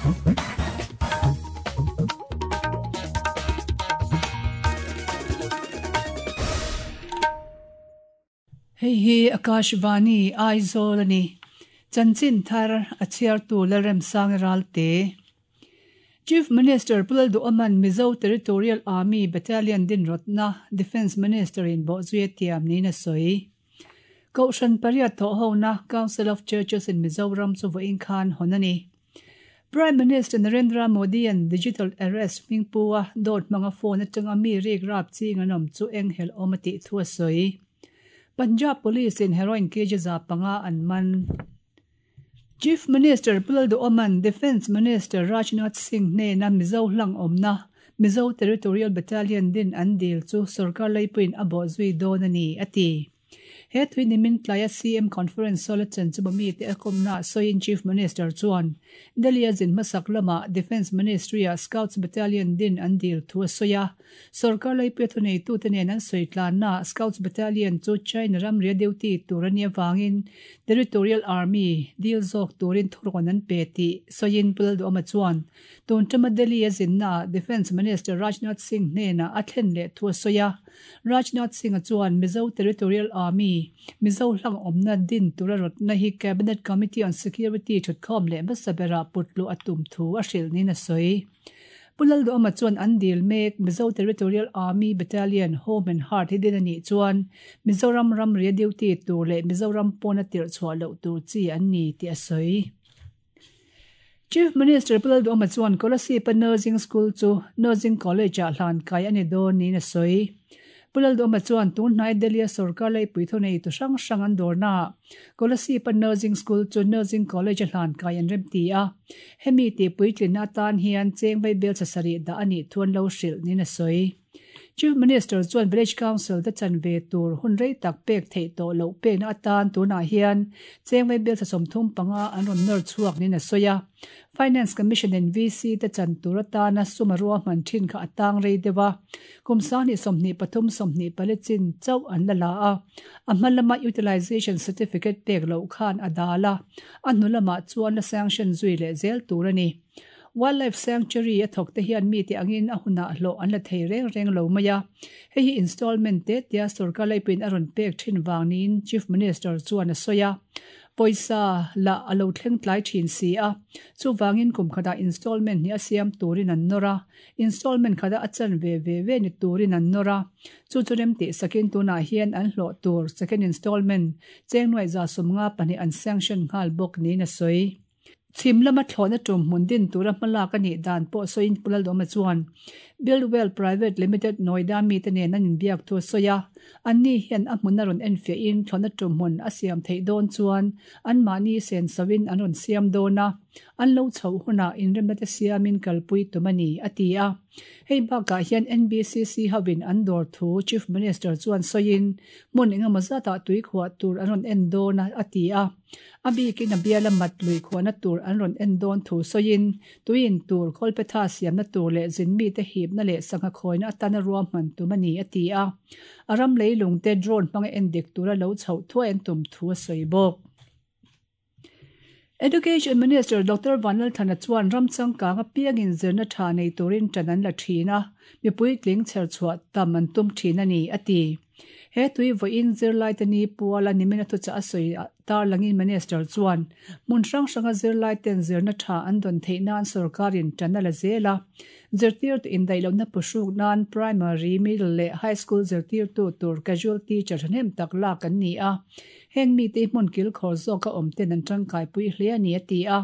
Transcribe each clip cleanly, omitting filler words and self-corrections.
Hei hi Akashvani, Aizawl a ni. Chanchin thar a chhiartu Lalremsangi Ralte. Chief Minister Pu Lalduhoma'n Mizo Territorial Army Battalion dinrawtna Defence Minister in bawhzui a tiam niin a sawi. Kohhran pariat thawhhona Council of Churches in Mizoram chu vawiin khan hawn a ni. Prime Minister Narendra Modi-a'n digital arrest hming pu a dawt hmanga phone atanga mi rik rap ching an awm chu eng helh awm a tih thu a sawi. Punjab Police in heroin kg 500 an man. Chief Minister Pu Lalduhoma'n Defence Minister Rajnath Singh hnena Mizo hlang awmna Mizo Territorial Battalion din an dil chu sorkar leipuiin a bawhzui dawn a ni, a ti. He thui nimin tlaia CM Conference Hall a chen chu mite a kawmnaah sawiin Chief Minister chuan Delhi a zin hmasak lamah Defence Ministry-ah Scouts Battalion din an dil thu a sawi a. Sorkar leipuia thuneitute nen an sawi tlannaah Scouts Battalion chu China ramria duty tur a nih avangin Territorial Army dil zawk turin thurawn an pe tih sawiin Pu Lalduhoma chuan tun tama Delhi a zinnaah Defence Minister Rajnath Singh hnenah a thlen leh thu a sawi a. Rajnath Singh-a chuan Mizo Territorial Army, Mizo hlang awmna din tura rawtna hi Cabinet Committee on Security thutkhawm leh hmasa berah putluh a tum thu a hrilh niin a sawi. Pu Lalduhama chuan an dil mek Mizo Territorial Army Battalion Home and Heart hi din a nih chuan Mizoram ramria duty tur leh Mizoram pawna tirh chhuah loh tur chi an ni tih a sawi. Chief Minister Pu Lalduhoma chuan Kolasib-a Nursing School chu Nursing College-ah hlan kai a ni dawn niin a sawi. Pu Lalduhoma chuan tun hnai Delhi-a sorkar leipui thuneitu hrang hrang an dawrnaah Kolasib-a Nursing School chu Nursing College-a hlan kai an remti a. Hemi tih puitlinna atan hian cheng vaibel chasarih dah a nih thu an lo hrilh niin a sawi. Chief Minister chuan Village Council te chan ve tur hun rei tak pek theih tawh loh pekna atan tunah hian cheng vaibel 35 an rawn nawr chhuak niin a sawi a. Finance Commission in VC te chan tur atana sum a ruahman thin kha a tang rei deuh a, kum 2023 24 chin chauh an la la a, a hma lama Utilization Certificate pek loh khan a dal a, a hnu lamah chuan la sanction zui leh zel tur a ni. Wildlife Sanctuary a thawk te hian mite angin a hunah hlawh an la thei reng reng lo mai a, hei hi installment te tia sorkar leipuiin a rawn pek thin vang niin Chief Minister chuan a sawi a. Pawisa lah a lo thleng tlai thin si a, chuvangin kum khatah installment hnih a siam turin an nawr a, installment khatah a chan ve ve ve ni turin an nawr a, chu chu remtih sakin tunah hian an hlawh tur second installment cheng nuaih 54 an sanction nghal bawk niin a sawi. Chhim lama thlawhna tum hmun din tura hmalak a nih dan pawh sawiin Pu Lalduhoma chuan Buildwell Private Limited Noida mite nen an inbiak thu a sawi a, anni hian a hmun a rawn enfiahin thlawhna tum hmun a siam theih dawn chuan anmahni sensoin an rawn siam dawn a, an lo chhoh hunah inremna te siamin kalpui tum a ni, a ti a. Hei bakah hian NBCC hovin an dawr thu Chief Minister chuan sawiin hmun engemaw zatah tui khuah tur an rawn en dawn a, a ti a. A bikin a biala mat lui khuahna tur an rawn en dawn thu sawiin, tuiin tur, kawlpetha siamna tur leh zinmite hipna leh sangha khawina atana ruahman tum a ni, a ti a. A ram leilungte drone hmanga en dik tura lo chhoh thuai an tum thu a sawi bawk. Education Minister Doctor Vanlalthana chuan ram changkang apiangin zirna tha nei turin tan an la thin a, mipui tling chher chhuah tam an tum thin a ni, a ti. He tui vawiin zirlaite ni puala nimin a thuchah a sawi tarlangin Minister chuan hmun hrang hranga zirlaiten zirna tha an dawn theih nan sorkarin tan a la zel a, zirtirtu indaihlohna puhruk nan primary, middle leh high school zirtirtu tur casual teacher thahnem tak lak an ni a, heng mite hi hmun kilkhawr zawka awm ten an tangkaipui hle a ni a ti a.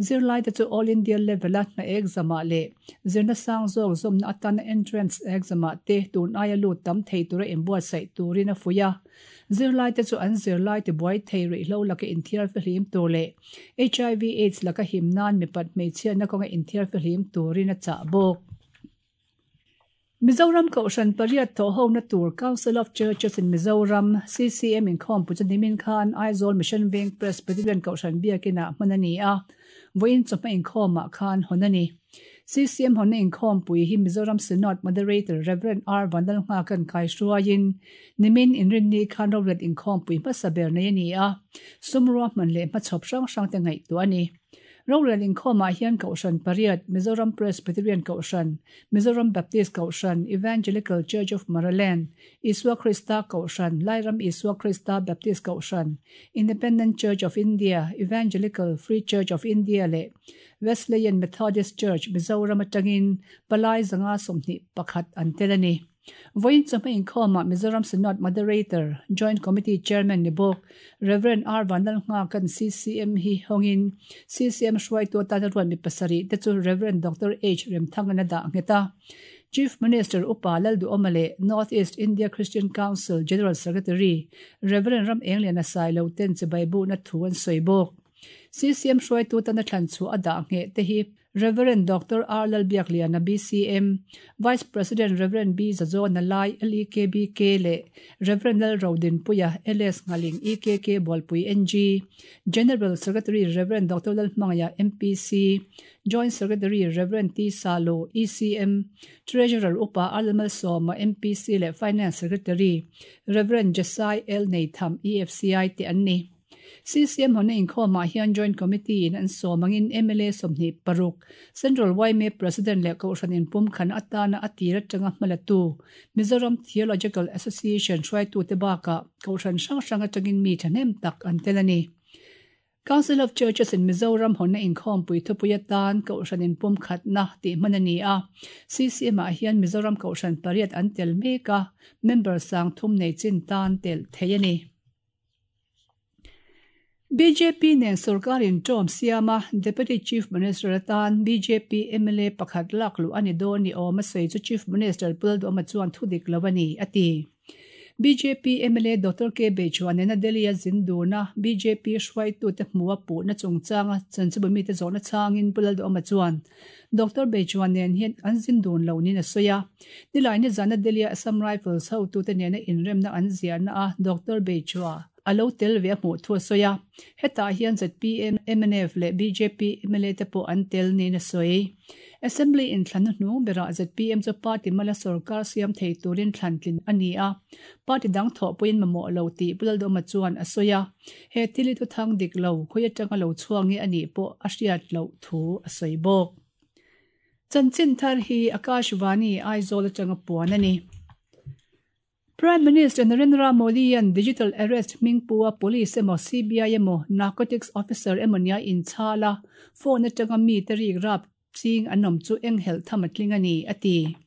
Zirlaite chu All India level-a hna exam-ah leh zirna sang zawk zawmna atana entrance exam-ah te tun aia lut tam thei tura inbuatsaih turin a fuih a. Zirlaite chu an zirlai tibuai thei ruihhlo laka inthiar fihlim tur leh HIV aids laka him nan mipat hmeichhiatna kawnga inthiar fihlim turin a chah bawk. Mizoram Kohhran pariat thawhhona tur Council of Churches in Mizoram, CCM, inkhawmpui chu nimin khan Aizawl Mission Veng Presbyterian Kohhran Biakinah hman a ni a, vawiin chawhma inkhawmah khan hawn a ni. CCM hawnna inkhawmpui hi Mizoram Synod Moderator Rev. R. Vanlalnghaka'n kaihruaiin nimin Inrinni khan rorel inkhawmpui hmasa ber nei a ni a, sum ruahman leh hmachhawp hrang hrangte ngaihtuah a ni. Rorel inkhawmah hian Kohhran pariat, Mizoram Presbyterian Kohhran, Mizoram Baptist Kohhran, Evangelical Church of Maraland, Isua Krista Kohhran, Lairam Isua Krista Baptist Kohhran, Independent Church of India, Evangelical Free Church of India leh Wesleyan Methodist Church, Mizoram atangin palai 521 an tel a ni. Vawiin chawhma inkhawmah Mizoram Synod Moderator, Joint Committee Chairman ni bawk Rev. R. Vanlalnghaka'n CCM hi hawngin CCM hruaitu atana ruat mi pasarih te chu Rev. Doctor H. Remthanga'n a dah nghet a. Chief Minister Upa Lalduhawma leh North East India Christian Council General Secretary Rev. Ram Engliana Sailo ten chibai buhna thu an sawi bawk. CCM hruaitu tana thlan chhuah a dah ngheh te hi Rev. Doctor R. Lalbiakliana BCM, Vice President Rev. B. Zazawna Lai LEKBK leh Rev. Lalrodinpuia LS Nghaling EKK Bualpui NG, General Secretary Rev. Doctor Lalhmangaiah MPC, Joint Secretary Rev. T. Salo ECM, Treasurer Upa R. Lalmalsawma MPC leh Finance Secretary Rev. Jesai L. Neitham EFCI te an ni. CCM hawna inkhawmah hian Joint Committee in an sawm angin mla 26, Central yma President leh Kohhran inpumkhan atana a tir atanga hmalatu Mizoram Theological Association hruaitute bakah Kohhran hrang hrang atangin mi thahnem tak an tel a ni. Council of Churches in Mizoram hawnna inkhawmpui thupui atan Kohhran inpumkhatna tih hman a ni a. CCM ah hian Mizoram Kohhran pariat an tel mek a, member 3000 nei chin tan telh theih a ni. Bjp nen sorkarin ṭawm siam a, Deputy Chief Minister atan bjp mla pakhat lak luh a ni dawn ni awm a sawi chu Chief Minister Pu Lalduhawma chuan thu dik lo a ni, a ti. Bjp mla Doctor K Beichhua nena Delhi-a zin dun a, bjp hruaitute hmuha puhna chungchanga chanchinbu mite zawhna chhangin Pu Lalduhawma chuan Doctor Beichhua nen hian an zin dun lo niin a sawi a. Nilai nizana Delhi-a Assam Rifles hotute nena inremna an ziahna a Doctor Beichhua a lo tel ve a hmuh thu a sawi a. Hetah hian zpm, mnf leh bjp mla te pawh an tel niin a sawi. Assembly inthlanna hnung berah zpm chu party mala sorkar siam thei turin thlan tlin a ni a. Party dang thawhpuiin mamawh lo tih Pu Lalduhawma chuan a sawi a. He thil hi thuthang dik lo, khawi atanga lo chhuak nge a nih pawh a hriat loh thu a sawi bawk. Chanchin thar hi Akashvani Aizawl atanga puan a ni. Prime Minister Narendra Modi-a'n digital arrest hming pu a police emaw CBI emaw narcotics officer emaw nia inchhal a, phone atanga mite rik rap ching an awm chu eng helh tham a tling a ni, a ti.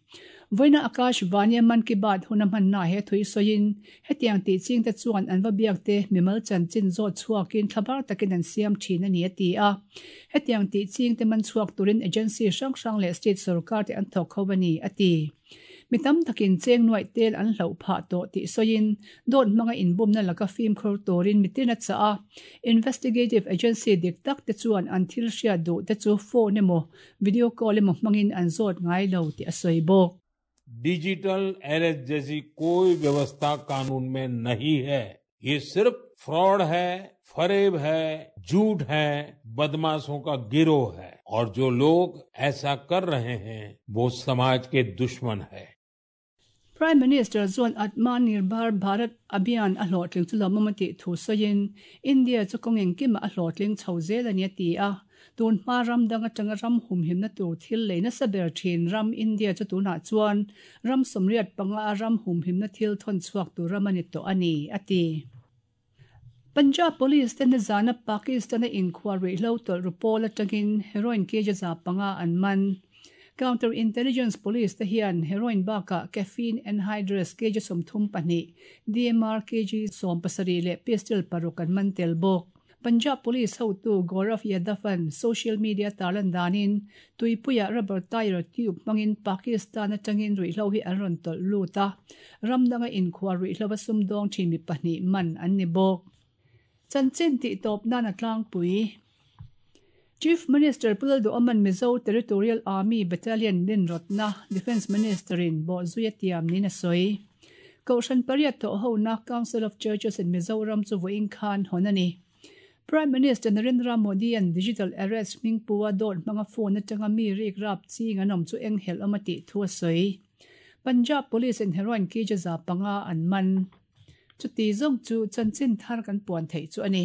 Vawiina Akashvani-a Mann Ki Baat hun a hmanna he thui sawiin, hetiang tih chingte chuan an va biakte mimal chanchin zawt chhuakin thlabar takin an siam thin a ni, a ti a. Hetiang tih chingte man chhuak turin agency hrang hrang leh state sorkar te an thawk ho a ni, a ti. Mi tam takin cheng nuaih tel an hlauh phah tawh tih sawiin dawt hmanga inbumna laka fimkhur turin mitin a chah a. Investigative agency dik tak te chuan an thil hriat duh te chu phone emaw video call emaw hmangin an zawt ngai lo tih a sawi bawk. Digital arrest जैसी कोई व्यवस्था कानून में नहीं है। ये सिर्फ फ्रॉड है, फरेब है, झूठ है, बदमाशों का गिरोह है और जो लोग ऐसा कर रहे हैं वो समाज के दुश्मन है। Prime Minister chuan Atmanirbhar Bharat Abhiyan a hlawhtling chu lawmawm a tih thu sawiin, India chu kawng engkimah a hlawhtling chho zel a ni a ti a. Tun hma ram dang atanga ram humhimna tur thil lei nasa ber thin ram India chu tunah chuan ram 85 a ram humhimna thil thawn chhuak tur ram a ni tawh a ni, a ti. Punjab Police te nizana Pakistan-a inkhual ruihhlo tawlh ru pawl atangin heroin kg 500 an man. Counter Intelligence Police te hian heroin bakah caffeine anhydrous kg 32, DMR kg 17 leh pistol paruk an man tel bawk. Punjab Police hotu Gaurav Yadav-a'n social media tarlan danin tuipuiah rubber tyre tube hmangin Pakistan atangin ruihhlo hi an rawn tawlh lut a, ram danga inkhual ruihhlo a sumdawng thin mi pahnih man an ni bawk. Chanchin tih tawp nan a tlangpui. Chief Minister Pu Lalduhawma'n Mizo Territorial Army Battalion dinrawtna Defence Minister-in bawhzui a tiam niin a sawi. Kohhran pariat thawh hona Council of Churches in Mizoram chu vawiin khan hawn a ni. Prime Minister Narendra Modi-a'n digital arrest hming pu a dawt hmanga phone atanga mi rik rap ching an awm chu eng helh awm a tih thu a sawi. Punjab Police in heroin kg 500 an man. Chuti zawng chu chanchin thar kan puan theih chu a ni.